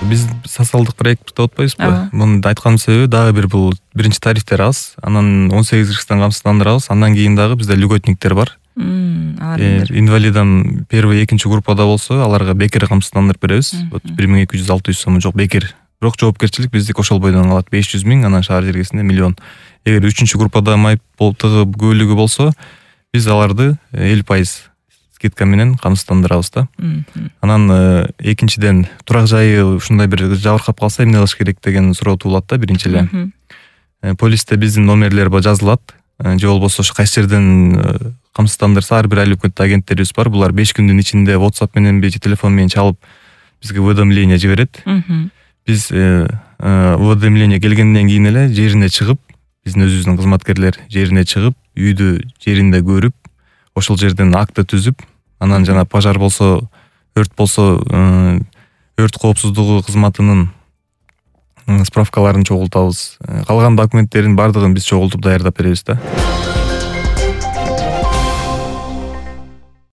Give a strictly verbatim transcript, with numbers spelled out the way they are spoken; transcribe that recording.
биз социалдык проект деп атпайбызбы? Муну айтканын себеби дагы бир бул биринчи тарифтер аз, анан он сегиз жаштан камсыздандырабыз. Андан кийин дагы бизде льготниктер бар. Инвалидам первый, экинчи группада болсо, аларга бекер камсыздандырып беребиз. Вот бир миң эки жүз алты жүз сом жок бекер. Бирок жоопкерчилик биздики ошол бойдон калат, беш жүз миң, анан шаар жергесинде миллион. Эгер үчүнчү группада майып болтугу көбүлүгү болсо, биз аларды элүү пайыз скидка менен камсыздандырабыз да. Анан экинчиден турак жайы ушундай бир жабыркап калса эмне кылыш керек деген суроо туулат да биринчи эле. Полисте биздин номерлер жазылат, же болбосо ошо кайсы жерден камсыздандырса ар бир айлык өкмөттүк агенттерибиз бар. Булар беш күндүн ичинде WhatsApp мененби же телефон менен чалып бизге уведомление жиберет. Биз уведомление келгенден кийин эле жерине чыгып, биздин өзүбүздүн кызматкерлер жерине чыгып, үйдү жеринде көрүп, ошол жерден акты түзүп, анан жана пожар болсо, өрт болсо, өрт коопсуздугу кызматынын справкаларын чогултабыз. Калган документтердин бардыгын биз чогултуп даярдап беребиз да.